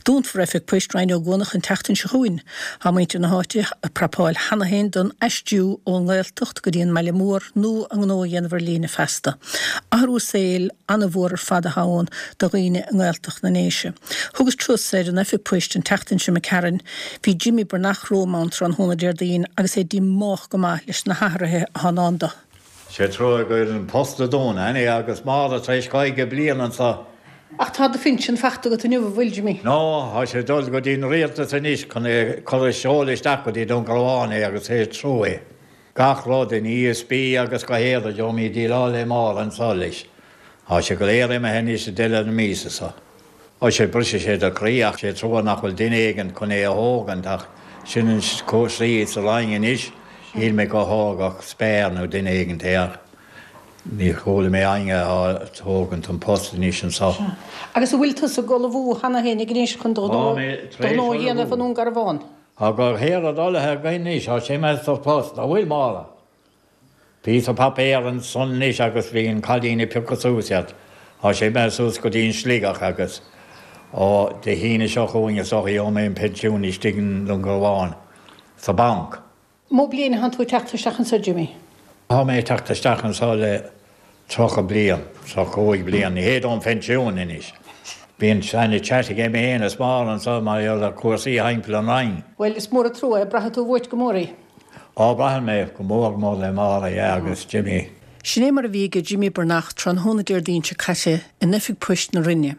Dúnfar Oifig Poist Rinn Ó gCuanach an tseachtain seo chugainn. Tá muintir na háite ag prapáil cheana féin don aistriú ón nGaeltacht go dtí an mbaile mór nó a ngnó a dhéanamh ar líne feasta. Athrú saoil an-mhór ar fad atá ann do dhaoine i nGaeltacht na nDéise. Thugas turas ar an oifig poist an tseachtain seo imigh tharainn. Bhí Jimmy Breathnach romham ann tráthnóna Déardaoin agus é díomách go maith leis na hathruithe atá i ndán do. Sé trua go bhfuil an post ag dúnadh, anyway, agus Máire tar éis 50 bliain anso. Ach tá do phinsean fachta agat inniu, an bhfuil, Jimmy? No, tá sé ag dul go dtí an rialtas anois chun é cur a seoladh isteach go dtí Dún Garbhán é agus sé trua é. Gach rud in ESB agus go héad a gheobhaimid déileáil le Máire anso leis. Tá sé go léir imithe anois i deireadh na míosa so. Ó sé brisfidh sé do chroí ach sé trua nach bhfuil duine éigint chun é a thógaint ach sin an cúrsaí sa Roinn anois, shíl mé go thógfadh Spare nó duine éigint é ach ní chuala mé éinne á thógaint an post anois anso. Sea. Agus an bhfuil tusa ag ullmhú cheana féin anois chun do ghnó a dhéanamh i nDún Garbhán? Tá go léir ullmhaithe againn anois, tá sé imithe sa phost, an bhfuil, Máire? Píosa paipéar ansan anois agus bhí an cailín ag piocadh suas iad. Tá sé imithe suas go dtí an Sligeach agus ó Dé hAoine seo chugainn is dócha gheobhaidh mé an pensiún istigh i nDún Garbhán sa banc. Mó bliain atánn tú ag teacht isteach anso, Jimmy? Tá mé ag teacht isteach anso le 30 bliain, 35 bliain. Ní hé don phensiún anois. Bíonn ana-chat agam féin is Máire anso mar gheall ar chúrsaí thimpeall an Roinn. Bhuel, is mór an trua é. Braithfidh tú uait go mór í. Á, braitheann mé go mór mór le Máire, yeah, agus Jimmy. Sin é mar a bhí aige Jimmy Breathnach tráthnóna Déardaoin seo caite in oifig poist na Rinne.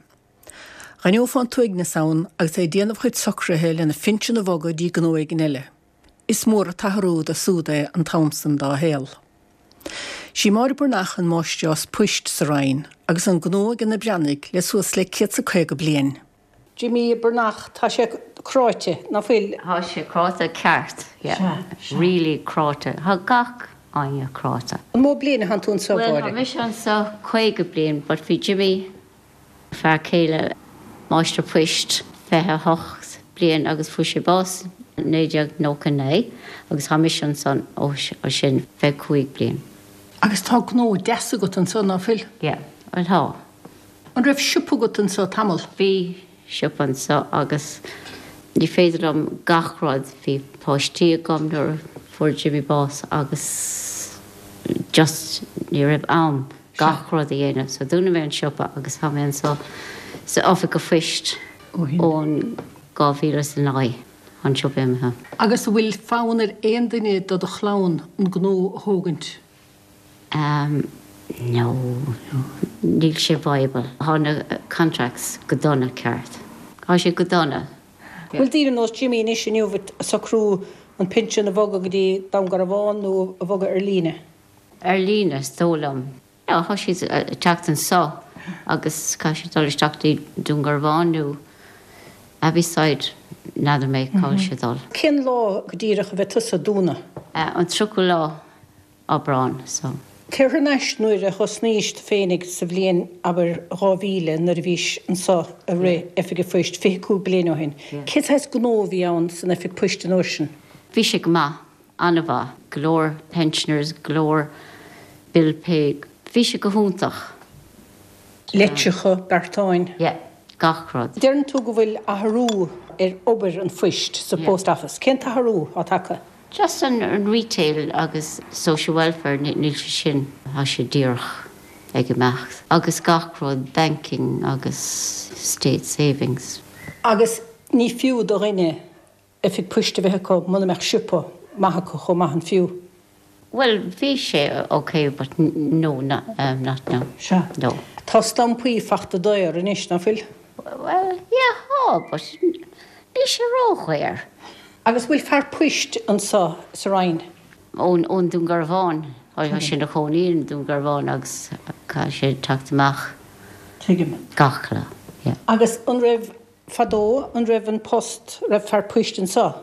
Dh'aithneofá an t-uaigneas ann agus é ag déanamh a chuid socruithe lena phinsean a bhogadh dtí gnó éigin eile. Is mór an t-athrú dó súd é an t-am san dá shaol. Sí Máire Breathnach an máistreás poist sa Roinn agus an gnó ag na Breathnaigh le suas le 150 bliain. Jimmy Breathnach, Tá sé cráite, ná fuil? Tá sé cráite ceart, yeah. Really cráite. Tá gach éinne cráite. An mó bliain atánn tú anso, Bhuel, tá mise anso 50 bliain but bhí Jimmy Fear céile, máistir poist, 28 bliain agus fuair sé bás 1999 agus tá mise ansan ó sin, 25 bliain. Agus tá gnó deas agat anso, ná fuil? Yeah, bhuel tá. An raibh siopa agat anso tamall? Bhí siopa anso agus ní féidir liom gach rud, bhí páistí agam nuair a fuair Jimmy bás agus just ní raibh am. gach rud a dhéanamh. So dúnfaidh mé an siopa agus tá mé anso sa oifig a phoist ón 2009, tá an siopa imithe. Agus an bhfuil fonn ar aon duine de do chlann an gnó a thógaint? Ehm no, níl sé viable. Tá na contracts go dona ceart. Tá sé go dona. Bhfuil daoine ar nós Jimmy anois inniu ag socrú an pinsean a bhogadh go dtí Dún Garbhán nó a bhogadh ar líne? Ar líne, is dóigh liom. No, tá siad ag teacht anso agus caithfidh siad dul isteach dtí Dún Garbhán nó Abbeyside, n'fheadar mé cá bhfuil siad ag dul. Cén lá go díreach a bheidh tusa ag dúnadh? An 30ú lá Aibreán, so. Téir thar n-ais nuair a thosnaís tú féinig sa bhliain, abair, 2000 nuair a bhís anso ag rith Oifig a' Phoist, 25 bliain ó shin. Cén saghas gnó a bhí ann san Oifig Poist an uair sin? Bhí sé go maith. An-mhaith. Go leor pensioners, go leor bill pay. Bhí sé go hiontach. Litreacha, beartáin. Yeah, gach rud. Deireann tú go bhfuil athrú ar obair an phoist sa Post Office. Cén t-athrú atá tagtha? Just an retail agus social welfare, níl sé sin, tá sé díreach ag imeacht. Agus gach rud, banking agus state savings. Agus ní fiú do dhuine oifig poist a bheith acu muna mbeadh siopa maith acu chomh maith, an fiú? Bhuel, bhí sé ok but no, not now. Sea. No. Tá stampaí fachta daor anois, ná fuil? Bhuel, yeah, tá, but níl sé ródhaor. Agus bhfuil fear poist anso sa Roinn? Ón, ón Dún Garbhán. Tá sé ina chónaí i nDún Garbhán agus caithfidh sé teacht amach. Tuigim. Gach lá, yeah. Agus an raibh Fadó, an raibh an post, raibh fear poist anso?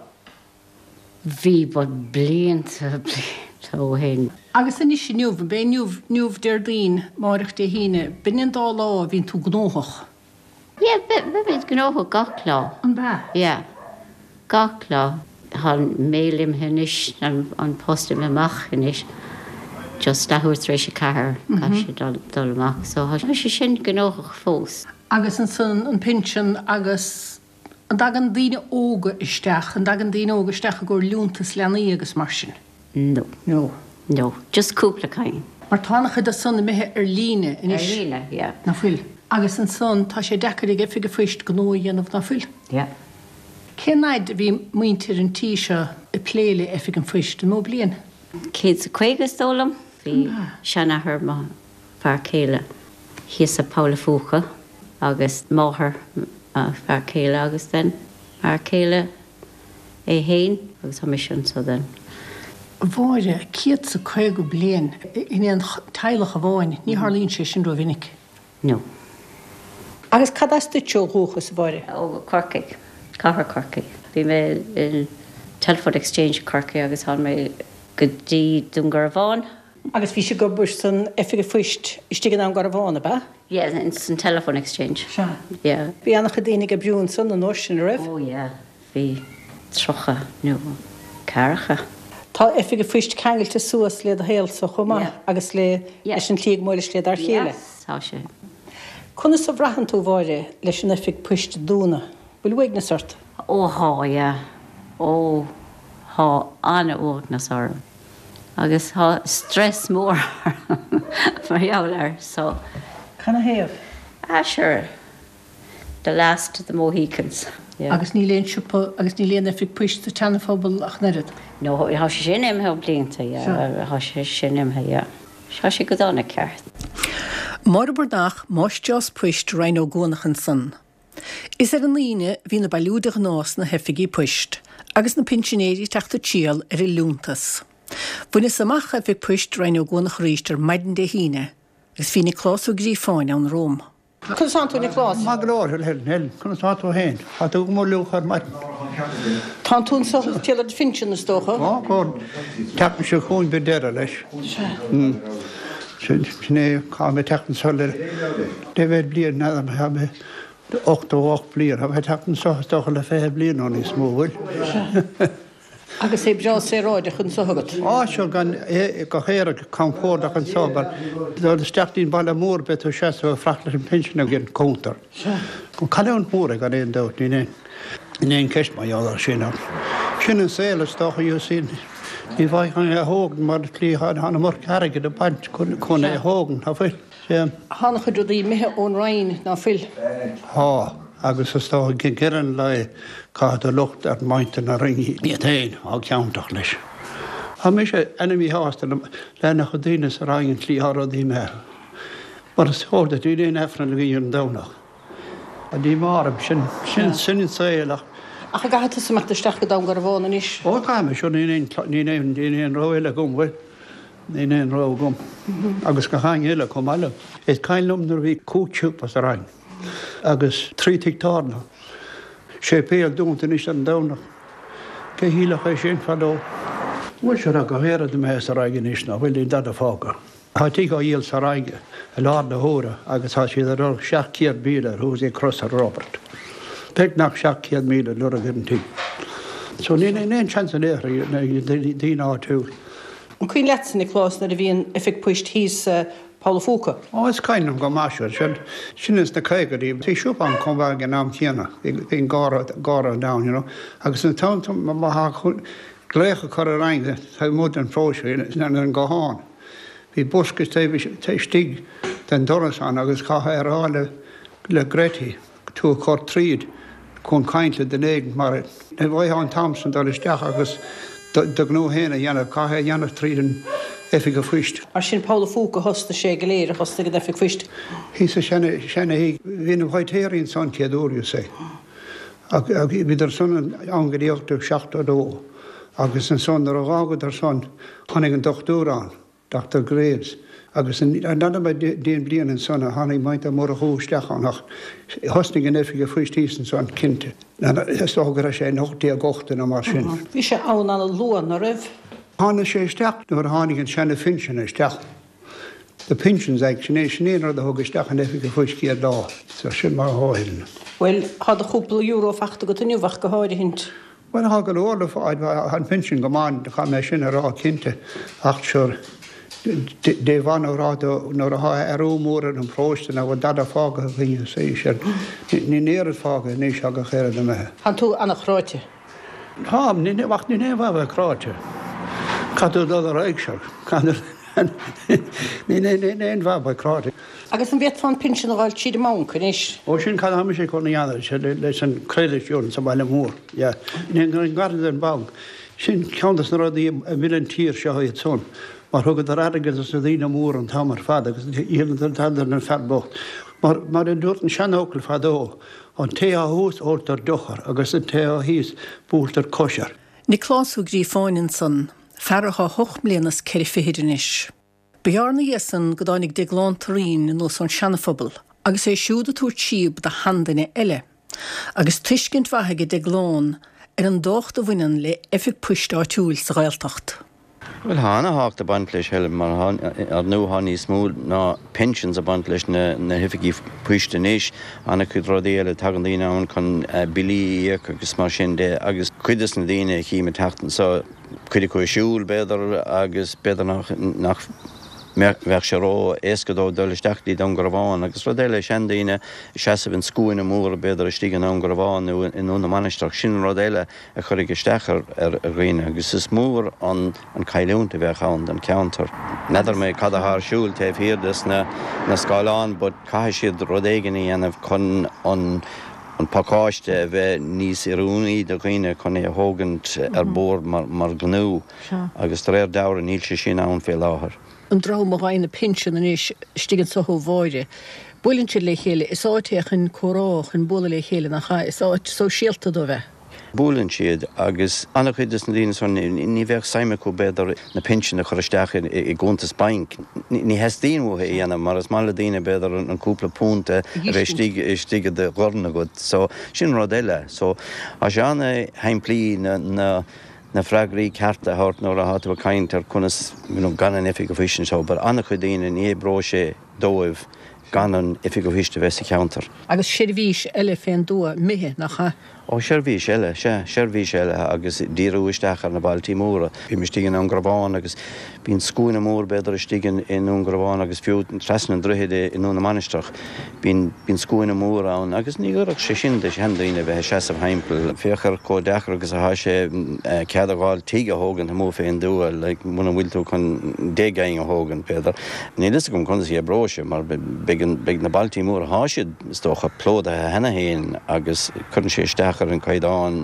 Bhí, but blianta, blianta ó shin. Agus anois inniu, ab é inniu, inniu Déardaoin, máireach Dé hAoine, b'in an dá lá a bhíonn tú gnóthach? Yeah, beimid gnóthach gach lá. An b'ea? Yeah, gach lá. Tá an mail imithe anois, an post imithe amach anois, just leathuair tar éis a ceathair, caithfidh sé dul amach. So tá sé sin gnóthach fós. Agus ansan an pinsean agus. An dtagann daoine óga isteach, an dtagann daoine óga isteach i gcomhair liúntas leanaí agus mar sin? No. No. No. Just cúpla cinn. Mar tá an-chuid de san imithe ar líne anois. Ar líne, yeah. Ná fuil? Agus ansan tá sé deacair ag Oifig an Phoist gnó a dhéanamh, ná fuil? Yeah. Cén fhaid a bhí muintir an tí seo ag plé le Oifig an Phoist? An mó bliain? 150 is dóigh liom. Bhí seanathair mo fear céile thíos sa Poll a' Phúca agus máthair mo fear céile agus then fear céile é fhéin agus tá mise anso then. A Mháire, 150 bliain in aon teaghlach amháin, ní tharlaíonn sé sin rómhinic. No. Agus cad as duit ó dhúchas, a Mháire? Ó Corcaigh, cathair Chorcaí. Bhí mé in Telephone Exchange Corcaigh agus tháinig mé go dtí Dún Garbhán. Agus bhís ag obair san Oifig an Phoist istigh i nDún Garbhán, ab ea? Yeah, in san Telephone Exchange. Sea. Yeah. Bhí an-chuid daoine ag oibriú ansan an uair sin, a raibh? Oh yeah, bhí 30 nó ceathracha. Tá Oifig an Phoist ceangailte suas le do shaolsa chomh maith Yeah. agus le Yeah. leis an tslí go mbuaileas le dar chéile. Yes, tá sé. Conas a bhraitheann tú, Mháire, leis an Oifig Poist a dúnadh? Bhfuil uaigneas ort? Ó thá, yeah. Ó thá an-uaigneas orm. Agus thá stress mór orm mar gheall air so. Canathaobh? Ah sure, the last of the Mohicans, yeah. Agus níl aon siopa agus níl aon oifig poist sa tSeana-Phobal ach an oiread? No, thá sé sin imithe blianta, yeah, thá sé sin imithe, yeah. Thá sé go dona ceart. Máire Breathnach, Máistreás Poist Rinn Ó gCuanach ansan. Is ar an Aoine a bhíonn an bailiú de ghnáth sna hoifigí poist, agus na pinsinéirí ag teacht ag triall ar a liúntas. Bhaineas amach Oifig Poist Rinn Ó gCuanach arís ar maidin Dé hAoine, agus bhí Nioclás Ó Gríofáin ann romham. Conas tánn tú, a Niocláis? Maith go leor, a Helen. Conas tá tú féin? Tá tú go mór fhliuch ar maidin. Tánn tú anso ag triall ar do phinsean, is dócha? Tá, go. An tseachtain seo chugainn beidh deireadh leis. Sea. Sin é, tá mé ag teacht anso le leibhéal bliain, n'fheadar, tá mé 88 bliain, tá mé ag teacht anso is dócha le 20 bliain nó níos mó, bhfuil? Sea. Agus é breá saoráideach anso agat? Á, sure, gan, go héiric, compordach anso, mar dul isteach dtí'n baile mór beidh tú ag seasamh ag fanacht leis an pinsean ag an cuntar. Sea. Cailliúint mhór é gan aon dabht, níl aon, níl aon cheist mar gheall air sin ach sin an saol is dócha, you see. Ní bhfaighfeá é a thógaint mar tslí tá an iomarca airgid ag baint chun é a thógaint, ná fuil? Sea. Tá an-chuid rudaí imithe ón Roinn, ná fuil? Tá, agus is dócha ag deireadh an lae caithfidh tú locht ar mhuintir na Roinne iad féin atá ciontach leis. Tá mise ana-mhíshásta le an-chuid daoine sa Roinn an tslí atá rudaí imithe. Mar is eol duit níl aon Aifreann againn ar an Domhnach. Tá díomá orm, sin, sin, sin an saol ach. Ach an gcaithfidh tusa imeacht isteach go Dún Garbhán anois? Ó, caithfidh mé, sure, níl aon, níl aon, níl aon rogha eile agam, bhuel, níl aon rogha agam. Agus gach éinne eile chomh maith liom. Is cuimhin liom nuair a bhí cúig shiopa sa Rinn agus trí tigh tábhairne, séipéal dúnta anois ar an Domhnach. Cé shílfeadh é sin fadó? Bhuel, sure, tá gach aon rud imithe sa Rinn anois, ná fuil, níl dada fágtha. Tá tigh á dhíol sa Rinn i láthair na huaire agus tá siad ag lorg 700,000 air thuas ag Crosaire Robert. Beagnach 700,000 ag lorg ar an tigh. So níl aon seans in aon chor ag daoine áitiúil. An cuimhin leatsa, Nioclás, nuair a bhí an oifig poist thíos sa Poll a' Phúca? Ó, is cuimhin liom go maith, sure. Sin, sin ins na caogaidí. Bhí siopa ann chomh maith ag an am céanna. Bhí an garra, garra down, you know. Agus an t-am, má tha glaoch a chur ar éinne taobh amuigh den phróiseas ar an guthán. Bhí bosca taobh istigh den doras ann agus chaithfeá é a rá le le Gretty tú a chur tríd chun caint le duine éigin mar ní bhfaighfeá an t-am sin dul isteach agus do ghnó féin a dhéanamh, chaithfeá é a dhéanamh tríd an oifig a phoist. Mar sin Poll a' Phúca a thosnaigh sé go léir, a thosnaigh an oifig phoist. Thíos sa seana-thigh, bhí na baitéirí ansan chéad uair, you see. Ach bhíodar san ann go dtí 1872 agus ansan nuair a dh'fhágadar san tháinig an dochtúir ann, Doctor Graves, agus n'fheadar mé cén bliain ansan a tháinig Muintir Murchú isteach ann ach thosnaigh an oifig a phoist thíos ansan cinnte. Is dócha go raibh sé in 1880 nó mar sin. Bhí sé ann ana-luath, ná raibh? Tháinig sé isteach nuair a tháinig an seana-phinsean isteach. The Pensions Act, sin é, sin é an rud a thug isteach an Oifig a Phoist chéad lá. So sin mar atá Helen. Bhuel, tá do chúpla euro fachta agat inniu ach go háirithint. Bhuel, tá go leor le fáil, tá an pinsean go maith, caithfidh mé sin a rá cinnte, ach sure, Dé mhaith nó rá dó nuair athá athrú mór ar an bparóiste nach bhfuil dada fágtha againne sa aois sin. Níl oiread fágtha anois ach oiread imithe. Tánn tú ana-chráite. Táim, ach níl aon mhaith a bheith cráite. Caithfidh tú dul ar aghaidh seo. Níl aon mhaith a bheith cráite. Agus an bhféadfá an pinsean a dh'fháil tríd an mbanc anois? Ó sin cad atá mise chun a dhéanamh leis an credit union sa bhaile mór. Yeah. Ní gar don bhanc. Sin ceann de na rudaí a mhill an tír seo iad san, mar thugadar airgead dos na daoine móra an t-am ar fad agus dhíoladar tada don fear bocht. Mar, mar a dúirt an seanfhocal fadó, an té atá thuas óltar deoch air agus an té atá thíos buailtear cois air. Nioclás Ó Gríofáin ansan, fear athá hocht mbliana is ceithre fichid anois. Ba ghearr 'na dhiaidh san go dtáinig Deaglán Turraoin anuas ón Seana-Phobal agus é siúd ag tabhairt síob do sheanduine eile, agus tuiscint mhaith aige Deaglán ar an dtábhacht a bhaineann le oifig poist áitiúil sa Ghaeltacht. Bhuel, tá ana-thábhacht ag baint leis, Helen, mar ar ndóigh tá níos mó ná pensions ag baint leis na hoifigí poist anois, ana-chuid rudaí eile, tagann daoine ann chun billí a íoc agus mar sin de agus cuid des na daoine a chím ag teacht anso, cuid acu ag siúl, b'fhéidir, agus b'fhéidir nach mbeadh sé ró-éasca dóibh dul isteach dtí Dún Garbhán. Agus rud eile, seandaoine ag seasamh in scuaine mór, b'fhéidir, istigh i nDún Garbhán nó i nDún na Mainistreach, sin an rud eile a chuirfeadh isteach ar dhaoine agus is mór an chailliúint a bheadh ann don cheantar. N'fheadar mé cad atá ar siúl taobh thiar des na scáileáin but caithfidh siad rud éigin a dhéanamh chun an an pacáiste a bheith níos oiriúnaí do dhaoine chun é a thógaint ar bord mar ghnó agus de réir dealraimh níl sé sin ann fé láthair. An dream a fhaigheann na pinsean anois istigh anso ó Mháire, buaileann siad le chéile, is áit é chun comhrá, chun bualadh le chéile, nach ea? Is áit sóisialta dóibh é. Buaileann siad agus an-chuid de na daoine san, ní bheadh suim acu b'fhéidir na pinsin a chur isteach i gcuntas bainc. Ní theastaíonn uathu é a dhéanamh mar is maith le daoine b'fhéidir an cúpla punt a bheith istigh istigh i do dhorn agat. So sin rud eile. So tá sé an-shimplí na na na freagraí cearta a thabhairt nuair atá tú ag caint ar conas you know gan an oifig phoist anseo but an-chuid daoine ní oibreoidh sé dóibh gan an oifig phoist a bheith sa cheantar. Agus seirbhís eile fén dtuath imithe, nach ea? Ó, seirbhís eile, sea, seirbhís eile agus díriú isteach ar na bailtí móra. Bím istigh i nDún Garbhán agus bíonn scuaine mór b'fhéidir istigh i nDún Garbhán agus fiú trasna an droichid i nDún na Mainistreach. Bíonn, bíonn scuaine mór ann agus ní oirfeadh sé sin do sheandaoine a bheith ag seasamh thimpeall. Féach ar chomh deacair agus atá sé cead a dh'fháil tigh a thógaint amuigh fén dtuath, like, muna bhfuil tú chun deich gcinn a thógaint, b'fhéidir. Níl fhios agam conas a oibreoidh sé mar beidh na bailtí móra, thá siad, is dócha, plódaithe cheana féin agus cuireann sé isteach ar an caighdeán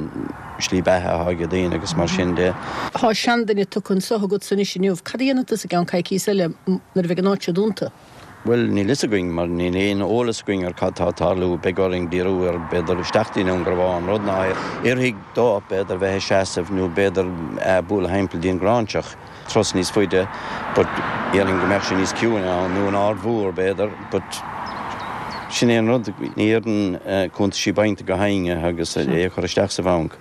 slí beatha athá ag daoine agus mar sin de. Thá seanduine tugtha anso agatsa anois inniu. Cad a dhéanfaidh tusa i gceann coicíos eile nuair a bheidh an áit seo dúnta? Bhuel, níl fhios againn mar níl aon eolas againn ar cad tá ag tarlú. Beidh orainn díriú ar, b'fhéidir, isteach dtí Dún Garbhán, rud ná oirfidh dó, b'fhéidir, bheith ag seasamh nó b'fhéidir bualadh thimpeall dtí an Ghráinseach. turas níos faide but déarfainn go mbeadh sé níos ciúine ann, nó an Aird Mhór b'fhéidir, but sin é an rud, ní oireann cuntaisí bainc do gach éinne agus é a chur isteach sa bhanc.